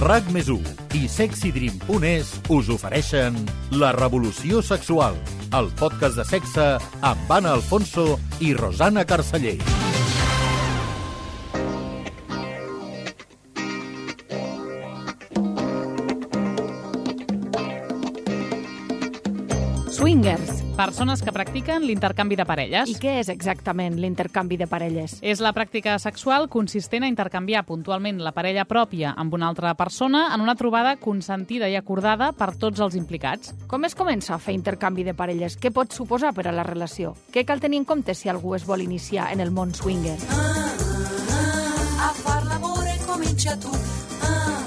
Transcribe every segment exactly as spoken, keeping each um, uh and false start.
RAC més u i sexydream punt es us ofereixen La Revolució Sexual, el podcast de sexe amb Anna Alfonso i Rosana Carceller. Swingers. Persones que practiquen l'intercanvi de parelles. I què és exactament l'intercanvi de parelles? És la pràctica sexual consistent a intercanviar puntualment la parella pròpia amb una altra persona en una trobada consentida i acordada per tots els implicats. Com es comença a fer intercanvi de parelles? Què pot suposar per a la relació? Què cal tenir en compte si algú es vol iniciar en el món swinger? Ah, ah, a far l'amore comincia tu. Ah,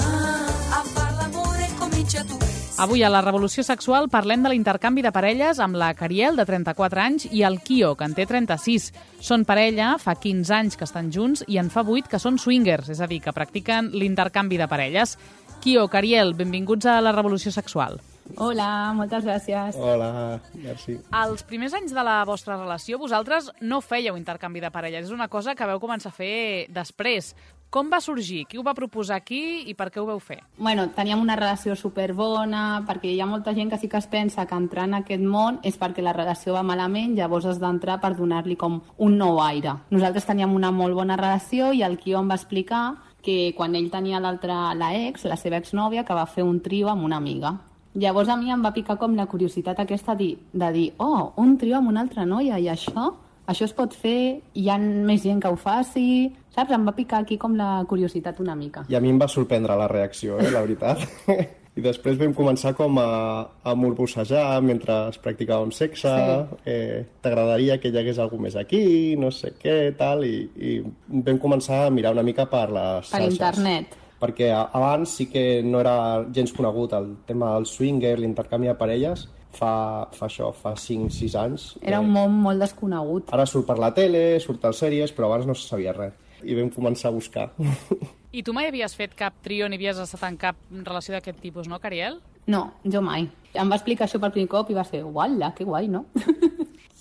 ah, a far l'amore comincia tu. Avui a La Revolució Sexual parlem de l'intercanvi de parelles amb la Cariel, de trenta-quatre anys, i el Kio, que en té trenta-sis. Són parella, fa quinze anys que estan junts i en fa vuit que són swingers, és a dir, que practiquen l'intercanvi de parelles. Kio, Cariel, benvinguts a La Revolució Sexual. Hola, moltes gràcies. Hola, merci. Els primers anys de la vostra relació, vosaltres no fèieu intercanvi de parelles. És una cosa que vau començar a fer després. Com va sorgir? Qui ho va proposar aquí i per què ho vau fer? Bueno, teníem una relació superbona, perquè hi ha molta gent que sí que es pensa que entrar en aquest món és perquè la relació va malament, llavors has d'entrar per donar-li com un nou aire. Nosaltres teníem una molt bona relació i el Kio em va explicar que quan ell tenia l'altra, la ex, la seva exnòvia, que va fer un trio amb una amiga. Llavors a mi em va picar com la curiositat aquesta de, de dir, oh, un trio amb una altra noia i això? Això es pot fer, hi ha més gent que ho faci, saps? Em va picar aquí com la curiositat una mica. I a mi em va sorprendre la reacció, eh, la veritat. I després vam començar com a, a morbossejar mentre practicàvem sexe, sí. eh, t'agradaria que hi hagués algú més aquí, no sé què, tal, i, i vam començar a mirar una mica per les per xarxes. internet. Perquè abans sí que no era gens conegut el tema del swinger, l'intercanvi de parelles, fa, fa això, fa cinc sis anys. Era un món molt desconegut. Ara surt per la tele, surt a sèries, però abans no se sabia res. I vam començar a buscar. I tu mai havies fet cap trio ni havies estat en cap relació d'aquest tipus, no, Cariel? No, jo mai. Em va explicar això per primer cop i va ser, uala, que guai, no?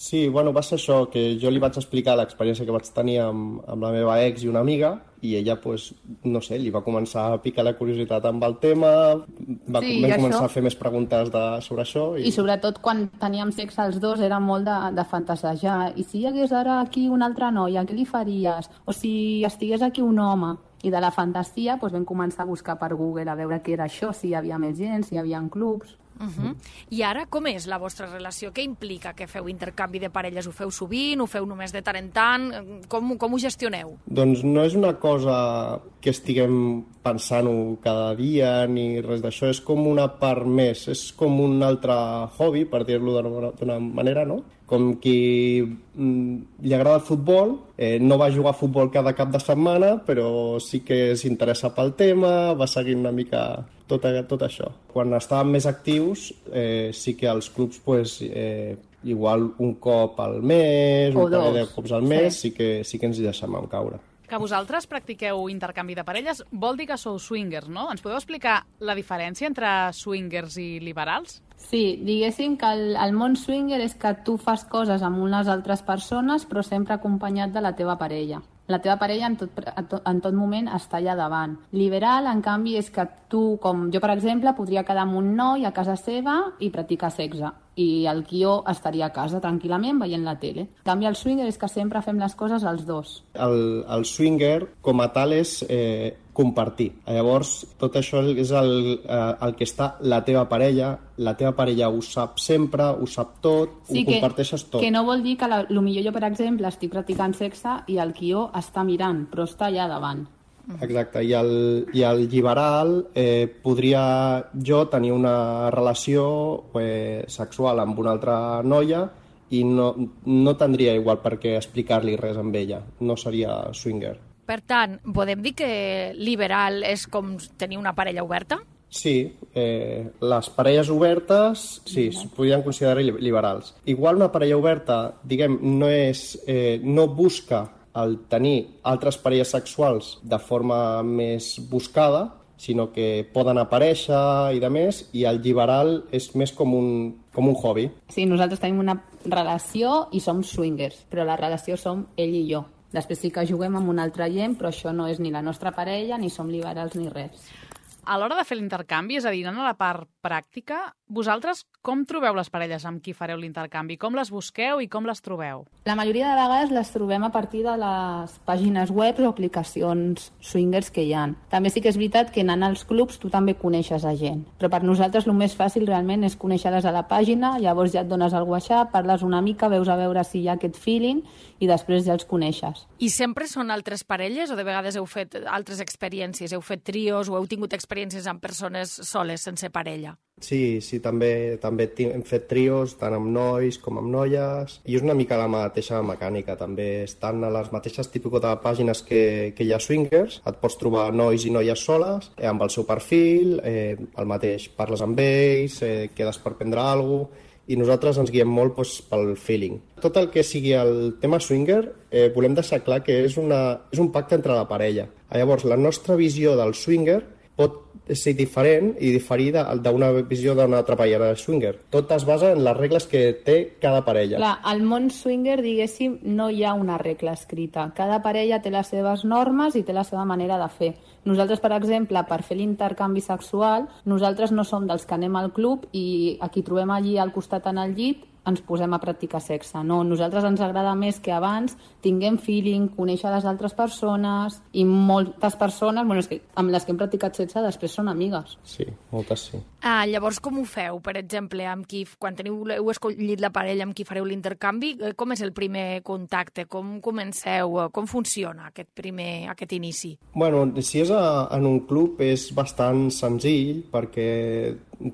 Sí, bueno, va ser això, que jo li vaig explicar l'experiència que vaig tenir amb, amb la meva ex i una amiga, i ella, pues, no sé, li va començar a picar la curiositat amb el tema, va sí, vam això... començar a fer més preguntes de, sobre això. I... I sobretot quan teníem sexe els dos era molt de, de fantasejar. I si hi hagués ara aquí una altra noia, què li faries? O si estigués aquí un home? I de la fantasia doncs, vam començar a buscar per Google a veure què era això, si hi havia més gent, si hi havia clubs. Uh-huh. I ara com és la vostra relació? Què implica que feu intercanvi de parelles? Ho feu sovint? Ho feu només de tant en tant? Com, com ho gestioneu? Doncs no és una cosa que estiguem pensant-ho cada dia ni res d'això, és com una part més, és com un altre hobby, per dir-lo d'una manera, no? Com qui mm, li agrada el futbol, eh, no va jugar a futbol cada cap de setmana, però sí que s'interessa pel tema, va seguint una mica tot, tot això. Quan estàvem més actius, eh, sí que els clubs, pues, eh, igual un cop al mes, o un parell de dos. cops al mes, sí. sí que, sí que ens hi deixem caure. Que vosaltres practiqueu intercanvi de parelles vol dir que sou swingers, no? Ens podeu explicar la diferència entre swingers i liberals? Sí, diguéssim que el, el món swinger és que tu fas coses amb unes altres persones però sempre acompanyat de la teva parella. La teva parella en tot, en tot moment està allà davant. Liberal, en canvi, és que tu, com jo, per exemple, podria quedar amb un noi a casa seva i practicar sexe. I el Kio estaria a casa tranquil·lament veient la tele. En canvi, el swinger és que sempre fem les coses els dos. El, el swinger, com a tal, és eh, compartir. Llavors, tot això és el, eh, el que està la teva parella, la teva parella ho sap sempre, ho sap tot, sí, ho comparteixes tot. Que no vol dir que la, potser jo, per exemple, estic practicant sexe i el Kio està mirant, però està allà davant. Exacte, i el, i el liberal eh, podria jo tenir una relació eh, sexual amb una altra noia i no, no tindria igual per què explicar-li res amb ella, no seria swinger. Per tant, podem dir que liberal és com tenir una parella oberta? Sí, eh, les parelles obertes, sí, es podrien considerar liberals. Igual una parella oberta, diguem, no, és, eh, no busca el tenir altres parelles sexuals de forma més buscada, sinó que poden aparèixer i de més, i el liberal és més com un, com un hobby. Sí, nosaltres tenim una relació i som swingers, però la relació som ell i jo. Després sí que juguem amb una altra gent, però això no és ni la nostra parella, ni som liberals ni res. A l'hora de fer l'intercanvi, és a dir, anant a la part pràctica, vosaltres com trobeu les parelles amb qui fareu l'intercanvi? Com les busqueu i com les trobeu? La majoria de vegades les trobem a partir de les pàgines web o aplicacions swingers que hi ha. També sí que és veritat que anant als clubs tu també coneixes a gent, però per nosaltres el més fàcil realment és conèixer-les a la pàgina, llavors ja et dones al WhatsApp, parles una mica, veus a veure si hi ha aquest feeling i després ja els coneixes. I sempre són altres parelles o de vegades heu fet altres experiències? Heu fet trios o heu tingut experiències amb persones soles, sense parella? Sí, sí, també, també hem fet trios, tant amb nois com amb noies, i és una mica la mateixa mecànica, també estan a les mateixes típiques de pàgines que, que hi ha swingers, et pots trobar nois i noies soles, eh, amb el seu perfil, eh, el mateix, parles amb ells, eh, quedes per prendre alguna cosa, i nosaltres ens guiem molt doncs, pel feeling. Tot el que sigui el tema swinger, eh, volem deixar clar que és, una, és un pacte entre la parella. Llavors, la nostra visió del swinger pot ser diferent i diferir d'una visió d'una altra parella de swinger. Tot es basa en les regles que té cada parella. Clar, al món swinger, diguéssim, no hi ha una regla escrita. Cada parella té les seves normes i té la seva manera de fer. Nosaltres, per exemple, per fer l'intercanvi sexual, nosaltres no som dels que anem al club i a qui trobem allí al costat en el llit ens posem a practicar sexe. No, nosaltres ens agrada més que abans tinguem feeling, conèixer les altres persones i moltes persones, bueno, és que amb les que hem practicat sexe després són amigues. Sí, moltes sí. Ah, llavors com ho feu, per exemple, amb qui, quan teniu, heu escollit la parella amb qui fareu l'intercanvi, com és el primer contacte? Com comenceu? Com funciona aquest primer, aquest inici? Bueno, si és a, en un club és bastant senzill perquè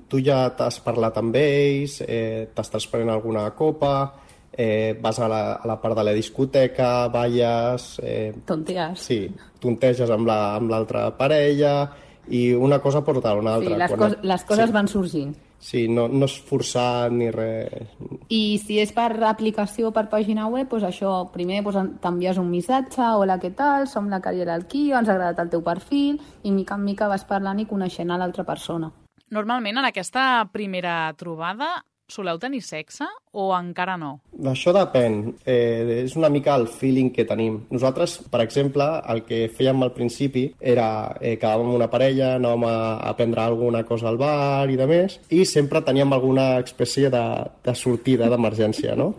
tu ja t'has parlat amb ells, eh, t'estàs prenent alguna copa, eh, vas a la, a la part de la discoteca, balles... Eh, Tontees. Sí, tonteges amb la, amb l'altra parella i una cosa porta a una altra. Sí, les, Quan... cos, les coses sí. van sorgint. Sí, no, no és forçat ni res. I si és per aplicació o per pàgina web, doncs això, primer doncs, t'envies un missatge, hola, què tal, som la Cariel Alquio, ens ha agradat el teu perfil, i mica en mica vas parlant i coneixent a l'altra persona. Normalment, en aquesta primera trobada, soleu tenir sexe o encara no? Això depèn. Eh, és una mica el feeling que tenim. Nosaltres, per exemple, el que fèiem al principi era eh, quedàvem amb una parella, anàvem a, a prendre alguna cosa al bar i de més, i sempre teníem alguna espècie de, de sortida d'emergència, no?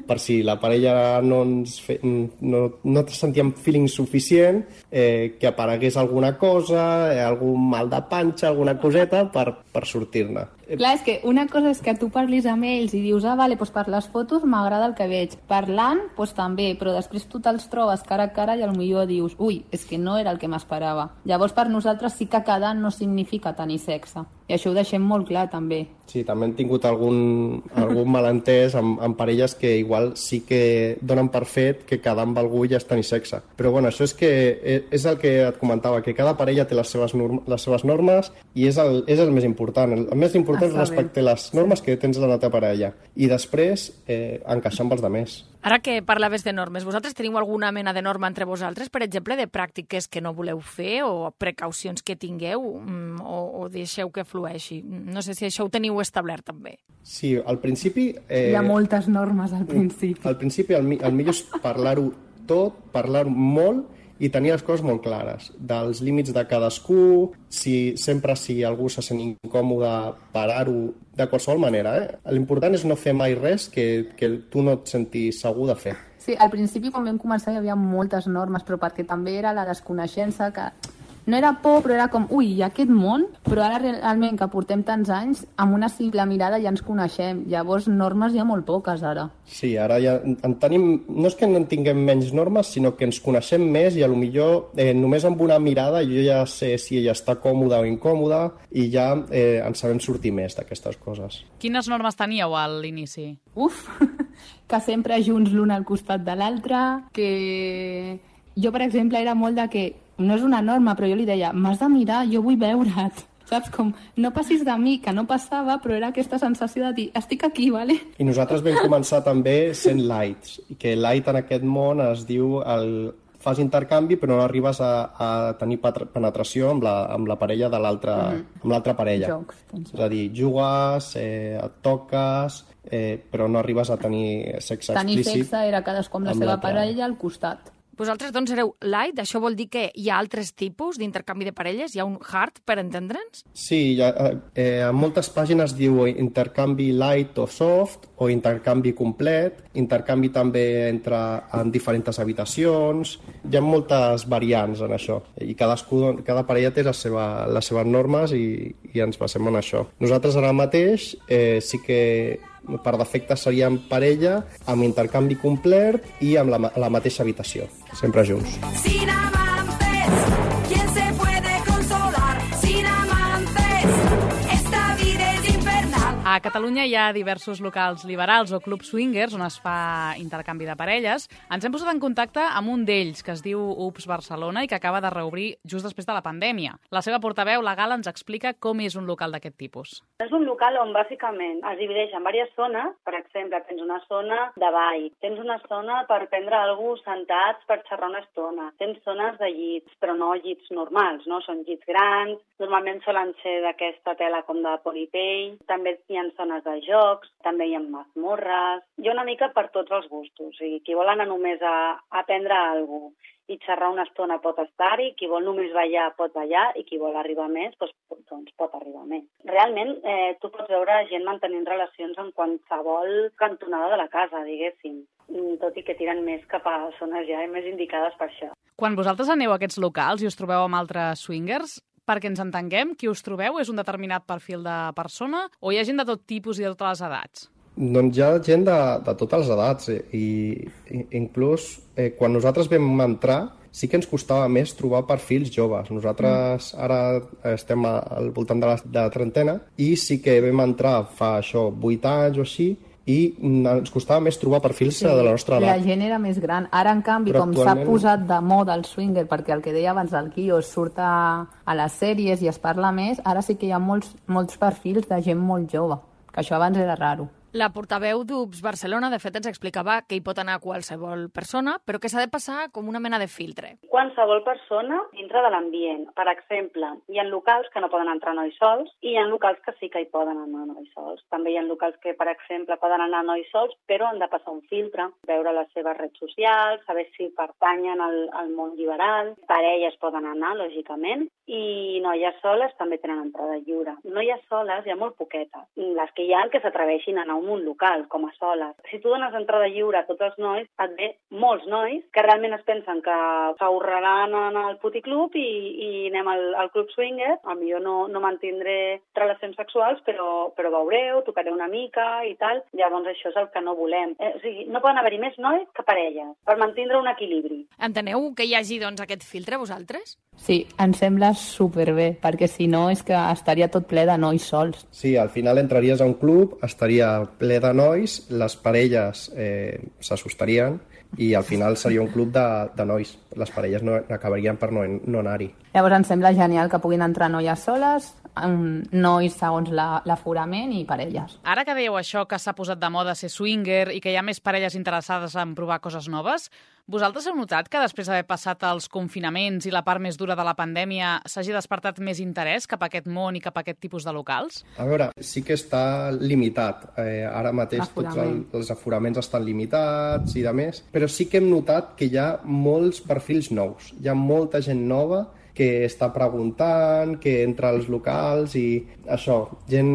Per si la parella no ens fe, no, no sentíem feeling suficient, eh, que aparegués alguna cosa, eh, algun mal de panxa, alguna coseta per, per sortir-ne. Clar, és que una cosa és que tu parlis amb ells i dius, ah, vale, doncs per les fotos m'agrada el que veig. Parlant, doncs també, però després tu te'ls trobes cara a cara i potser dius, ui, és que no era el que m'esperava. Llavors per nosaltres sí que quedar no significa tenir sexe. I això ho deixem molt clar, també. Sí, també hem tingut algun, algun malentès amb, amb parelles que igual sí que donen per fet que quedar amb algú ja és tenir sexe. Però bueno, això és que és el que et comentava, que cada parella té les seves, norm, les seves normes i és el, és el més important. El més important és respectar les normes que tens de la teva parella i després eh, encaixar amb els altres. Ara que parlaves de normes, vosaltres teniu alguna mena de norma entre vosaltres, per exemple, de pràctiques que no voleu fer o precaucions que tingueu o, o deixeu que flueixi? No sé si això ho teniu establert també. Sí, al principi... Eh, Hi ha moltes normes al principi. Al principi el, el millor és parlar-ho tot, parlar-ho molt i tenir les coses molt clares, dels límits de cadascú, si sempre si algú se sent incòmode, parar-ho de qualsevol manera. Eh? L'important és no fer mai res que, que tu no et sentis segur de fer. Sí, al principi quan vam començar hi havia moltes normes, però perquè també era la desconeixença que... No era por, però era com, ui, hi ha aquest món, però ara realment que portem tants anys, amb una simple mirada ja ens coneixem. Llavors, normes hi ha molt poques, ara. Sí, ara ja en tenim... No és que no en tinguem menys normes, sinó que ens coneixem més i potser eh, només amb una mirada jo ja sé si ella està còmoda o incòmoda i ja eh, ens sabem sortir més d'aquestes coses. Quines normes teníeu a l'inici? Uf, que sempre junts l'un al costat de l'altre, que... Jo, per exemple, era molt de que no és una norma, però jo li deia, m'has de mirar, jo vull veure't. Saps? Com, no passis de mi, que no passava, però era aquesta sensació de dir, estic aquí, vale? I nosaltres vam començar també sent lights, i que light en aquest món es diu el... fas intercanvi però no arribes a, a tenir penetració amb la, amb la parella de l'altra mm-hmm. amb l'altra parella. Jocs, és a dir, jugues, eh, et toques, eh, però no arribes a tenir sexe tenir explícit. Tenir sexe era cadascú amb la amb seva parella al costat. Vosaltres, doncs, sereu light, això vol dir que hi ha altres tipus d'intercanvi de parelles? Hi ha un hard, per entendre'ns? Sí, ha, eh, en moltes pàgines diu intercanvi light o soft, o intercanvi complet, intercanvi també entre en diferents habitacions. Hi ha moltes variants en això, i cadascú, cada parella té la seva, les seves normes i, i ens basem en això. Nosaltres ara mateix eh, sí que per defecte seríem parella amb intercanvi complet i amb la, la mateixa habitació, sempre junts. Sin amantes, ¿quién se puede consolar? Sin amantes, esta vida es infernal. A Catalunya hi ha diversos locals liberals o clubs swingers on es fa intercanvi de parelles. Ens hem posat en contacte amb un d'ells, que es diu Ups Barcelona i que acaba de reobrir just després de la pandèmia. La seva portaveu legal ens explica com és un local d'aquest tipus. És un local on bàsicament es divideix en diverses zones. Per exemple, tens una zona de ball, tens una zona per prendre alguna cosa sentats per xerrar una estona, tens zones de llits, però no llits normals, no? Són llits grans, normalment solen ser d'aquesta tela com de polipell, també hi ha zones de jocs, també hi ha mazmorres, hi ha una mica per tots els gustos. O sigui, qui vol anar només a aprendre alguna cosa i xerrar una estona pot estar-hi, qui vol només ballar pot ballar i qui vol arribar més doncs, doncs pot arribar més. Realment, eh, tu pots veure gent mantenint relacions en qualsevol cantonada de la casa, diguéssim, tot i que tiren més cap a zones ja més indicades per això. Quan vosaltres aneu a aquests locals i us trobeu amb altres swingers, perquè ens entenguem, qui us trobeu és un determinat perfil de persona o hi ha gent de tot tipus i de totes les edats? Doncs hi ha gent de, de totes les edats eh? I, i inclús eh, quan nosaltres vam entrar sí que ens costava més trobar perfils joves. Nosaltres mm. ara estem al voltant de la, de la trentena i sí que vam entrar fa això vuit anys o així i ens costava més trobar perfils sí, de la nostra edat. La gent era més gran. Ara, en canvi, però com actualment... s'ha posat de moda el swinger, perquè el que deia abans del Quio surt a, a les sèries i es parla més, ara sí que hi ha molts, molts perfils de gent molt jove, que això abans era raro. La portaveu d'Ups Barcelona, de fet, ens explicava que hi pot anar qualsevol persona, però que s'ha de passar com una mena de filtre. Qualsevol persona dintre de l'ambient. Per exemple, hi ha locals que no poden entrar nois sols i hi ha locals que sí que hi poden anar nois sols. També hi ha locals que, per exemple, poden anar nois sols, però han de passar un filtre, veure les seves redes socials, saber si pertanyen al, al món liberal. Parelles poden anar, lògicament, i noies soles també tenen entrada lliure. Noies soles hi ha molt poquetes. Les que hi ha que s'atreveixin a anar un local, com a soles. Si tu dones entrada lliure a tots els nois, et ve molts nois que realment es pensen que s'ahorraran en el puticlub i, i anem al, al club swinger. A mi jo no, no mantindré relacions sexuals, però, però veureu, tocaré una mica i tal. Llavors això és el que no volem. Eh, o sigui, no poden haver-hi més nois que parelles, per mantindre un equilibri. Enteneu que hi hagi, doncs, aquest filtre, vosaltres? Sí, em sembla superbé, perquè si no és que estaria tot ple de nois sols. Sí, al final entraries a un club, estaria ple de nois, les parelles eh, s'assustarien i al final seria un club de, de nois. Les parelles no, acabarien per no, no anar-hi. Llavors em sembla genial que puguin entrar noies soles, nois segons la, l'aforament i parelles. Ara que dèieu això, que s'ha posat de moda ser swinger i que hi ha més parelles interessades en provar coses noves, vosaltres heu notat que després d'haver passat els confinaments i la part més dura de la pandèmia s'hagi despertat més interès cap a aquest món i cap a aquest tipus de locals? A veure, sí que està limitat. Eh, ara mateix tots el, els aforaments estan limitats i de més, però sí que hem notat que hi ha molts perfils nous. Hi ha molta gent nova que està preguntant, que entra als locals i això, gent...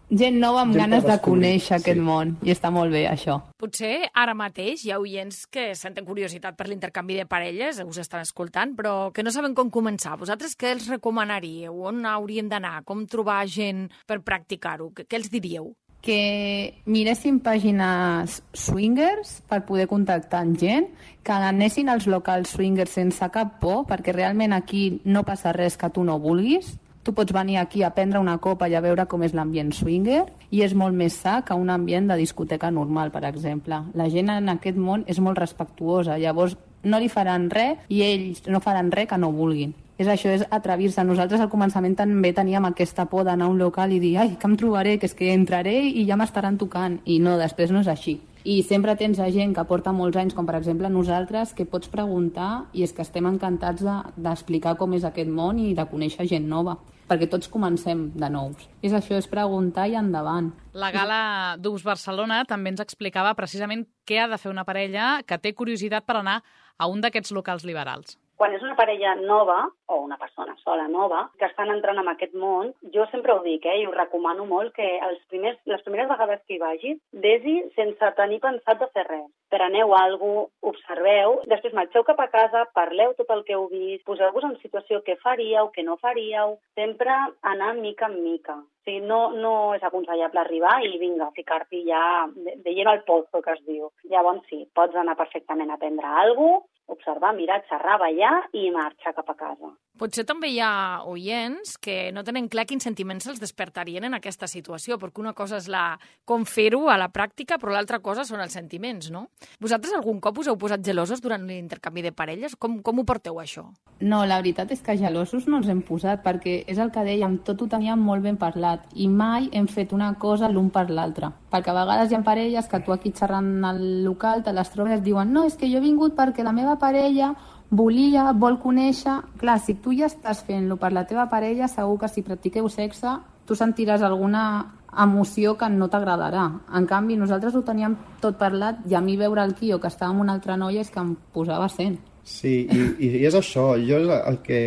Gent nova amb gent ganes de descobrir. conèixer aquest sí. món, i està molt bé, això. Potser ara mateix hi ha oients que senten curiositat per l'intercanvi de parelles, us estan escoltant, però que no saben com començar. Vosaltres què els recomanaríeu? On haurien d'anar? Com trobar gent per practicar-ho? Què, què els diríeu? Que miressin pàgines swingers per poder contactar amb gent, que anessin als locals swingers sense cap por, perquè realment aquí no passa res que tu no vulguis. Tu pots venir aquí a prendre una copa i a veure com és l'ambient swinger i és molt més sa que un ambient de discoteca normal, per exemple. La gent en aquest món és molt respectuosa, llavors no li faran res i ells no faran res que no vulguin. És això, és atrevir-se. Nosaltres al començament també teníem aquesta por d'anar a un local i dir ai, que em trobaré, que és que entraré i ja m'estaran tocant. I no, després no és així. I sempre tens a gent que porta molts anys, com per exemple nosaltres, que pots preguntar i és que estem encantats de, d'explicar com és aquest món i de conèixer gent nova. perquè tots comencem de nous. És això, és preguntar i endavant. La gala d'U B S Barcelona també ens explicava precisament què ha de fer una parella que té curiositat per anar a un d'aquests locals liberals. Quan és una parella nova, o una persona sola nova, que estan entrant en aquest món, jo sempre ho dic, eh, i ho recomano molt, que els primers, les primeres vegades que hi vagis, vés-hi sense tenir pensat de fer res. Preneu alguna cosa, observeu, després marxeu cap a casa, parleu tot el que heu vist, poseu-vos en situació què faríeu, què no faríeu, sempre anar mica en mica. O sigui, no, no és aconsellable arribar i vinga, ficar-t'hi ja de, de lleno al pozo, que es diu. Llavors sí, pots anar perfectament a prendre alguna cosa, observar, mirar, xerrar, ballar i marxar cap a casa. Potser també hi ha oients que no tenen clar quins sentiments els despertarien en aquesta situació, perquè una cosa és la com fer-ho a la pràctica, però l'altra cosa són els sentiments, no? Vosaltres algun cop us heu posat gelosos durant l'intercanvi de parelles? Com, com ho porteu, això? No, la veritat és que gelosos no ens hem posat, perquè és el que dèiem, tot ho teníem molt ben parlat i mai hem fet una cosa l'un per l'altre. Perquè a vegades hi ha parelles que tu aquí xerrant al local te les trobes i diuen no, és que jo he vingut perquè la meva parella volia, vol conèixer... Clar, si tu ja estàs fent-lo per la teva parella, segur que si practiqueu sexe, tu sentiràs alguna emoció que no t'agradarà. En canvi, nosaltres ho teníem tot parlat i a mi veure el Quio, que estava amb una altra noia, és que em posava sent. Sí, i, i és això. Jo el que,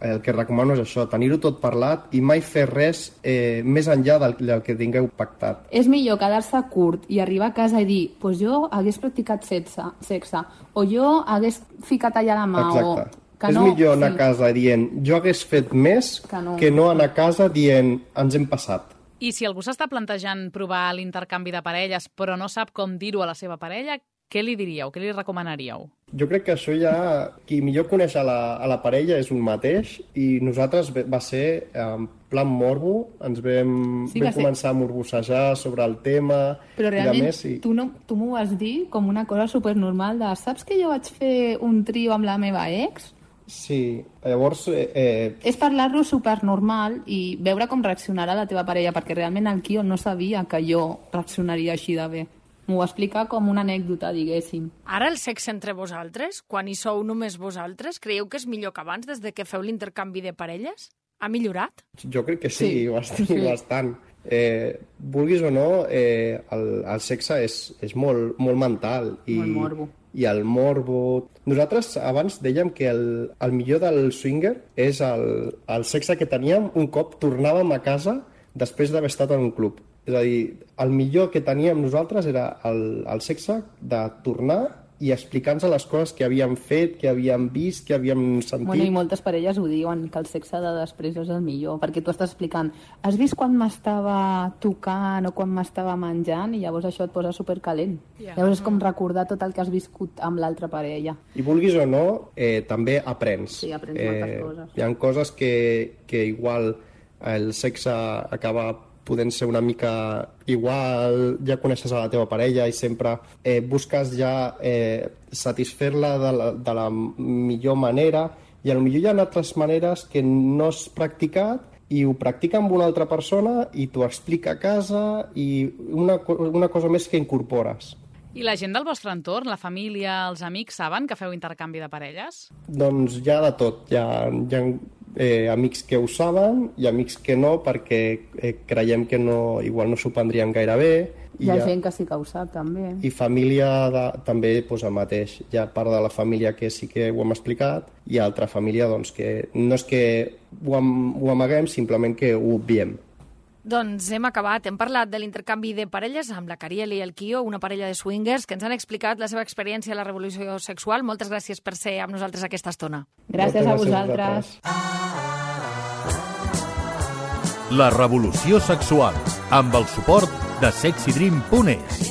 el que recomano és això, tenir-ho tot parlat i mai fer res eh, més enllà del, del que tingueu pactat. És millor quedar-se curt i arribar a casa i dir pues jo hagués practicat sexe, sexe o jo hagués ficat allà la mà. Exacte. O que és no, millor anar sí. a casa dient jo hagués fet més que no. que no anar a casa dient ens hem passat. I si algú s'està plantejant provar l'intercanvi de parelles però no sap com dir-ho a la seva parella, què li diríeu? Què li recomanaríeu? Jo crec que això ja... Qui millor coneix a la, a la parella és un mateix i nosaltres va ser en plan morbo, ens vam, sí, vam començar a morbossejar sobre el tema. Però realment més, i... tu, no, tu m'ho vas dir com una cosa supernormal de saps que jo vaig fer un trio amb la meva ex? Sí, llavors... Eh, eh... És parlar-lo supernormal i veure com reaccionarà la teva parella, perquè realment el Quio no sabia que jo reaccionaria així de bé. M'ho va explicar com una anècdota, diguéssim. Ara el sexe entre vosaltres, quan hi sou només vosaltres, creieu que és millor que abans, des de que feu l'intercanvi de parelles? Ha millorat? Jo crec que sí, sí. bastant. Sí. bastant. Eh, vulguis o no, eh, el, el sexe és, és molt, molt mental. I, molt morbo. I el morbo... Nosaltres abans dèiem que el, el millor del swinger és el, el sexe que teníem un cop tornàvem a casa després d'haver estat en un club. És a dir, el millor que teníem nosaltres era el, el sexe de tornar i explicar-nos les coses que havíem fet, que havíem vist, que havíem sentit. Bueno, i moltes parelles ho diuen, que el sexe de després és el millor, perquè tu estàs explicant, has vist quan m'estava tocant o quan m'estava menjant, i llavors això et posa supercalent. Yeah. Llavors és com recordar tot el que has viscut amb l'altra parella. I vulguis o no, eh, també aprens. Sí, aprens eh, moltes coses. Hi ha coses que, que igual el sexe acaba podent ser una mica igual, ja coneixes a la teva parella i sempre eh, busques ja eh, satisfer-la de, la, de la millor manera i potser hi ha altres maneres que no has practicat i ho practica amb una altra persona i t'ho explica a casa i una, una cosa més que incorpores. I la gent del vostre entorn, la família, els amics, saben que feu intercanvi de parelles? Doncs hi ha de tot. Hi ha, hi ha eh, amics que ho saben i amics que no, perquè eh, creiem que no, igual no s'ho prendrien gaire bé. Hi ha, hi ha gent que sí que ho sap, també. I família de, també doncs, el mateix. Hi ha part de la família que sí que ho hem explicat i altra família doncs, que no és que ho, am, ho amaguem, simplement que ho obviem. Doncs hem acabat. Hem parlat de l'intercanvi de parelles amb la Cariel i el Quio, una parella de swingers que ens han explicat la seva experiència a la revolució sexual. Moltes gràcies per ser amb nosaltres aquesta estona. Gràcies a vosaltres. La revolució sexual, amb el suport de sexy dream punt es.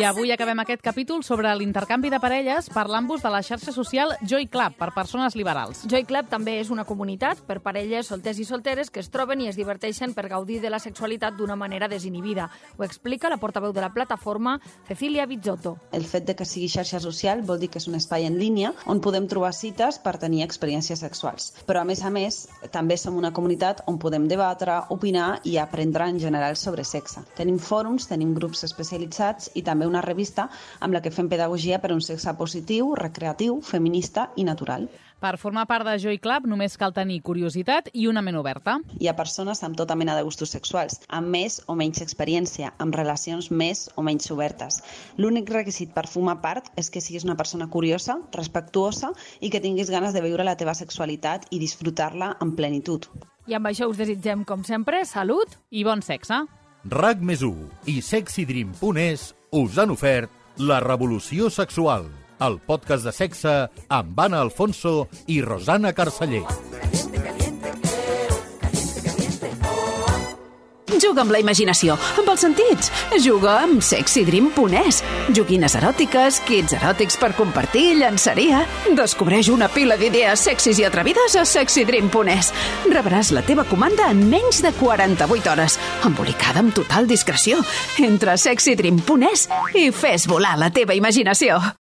I avui acabem aquest capítol sobre l'intercanvi de parelles parlant-vos de la xarxa social Joy Club per persones liberals. Joy Club també és una comunitat per parelles solters i solteres que es troben i es diverteixen per gaudir de la sexualitat d'una manera desinhibida. Ho explica la portaveu de la plataforma, Cecilia Bizzotto. El fet de que sigui xarxa social vol dir que és un espai en línia on podem trobar cites per tenir experiències sexuals. Però, a més a més, també som una comunitat on podem debatre, opinar i aprendre en general sobre sexe. Tenim fòrums, tenim grups especialitzats i també una revista amb la que fem pedagogia per un sexe positiu, recreatiu, feminista i natural. Per formar part de Joy Club només cal tenir curiositat i una ment oberta. Hi ha persones amb tota mena de gustos sexuals, amb més o menys experiència, amb relacions més o menys obertes. L'únic requisit per formar part és que siguis una persona curiosa, respectuosa i que tinguis ganes de viure la teva sexualitat i disfrutar-la en plenitud. I amb això us desitgem, com sempre, salut i bon sexe. RAC més u i sexydream punt es us han ofert La Revolució Sexual, el podcast de sexe amb Anna Alfonso i Rosana Carceller. Juga amb la imaginació, amb els sentits. Juga amb sexydream punt es. Joguines eròtiques, kits eròtics per compartir, llançaria. Descobreix una pila d'idees sexis i atrevides a sexydream punt es. Rebràs la teva comanda en menys de quaranta-vuit hores, embolicada amb total discreció. Entra a sexydream punt es i fes volar la teva imaginació.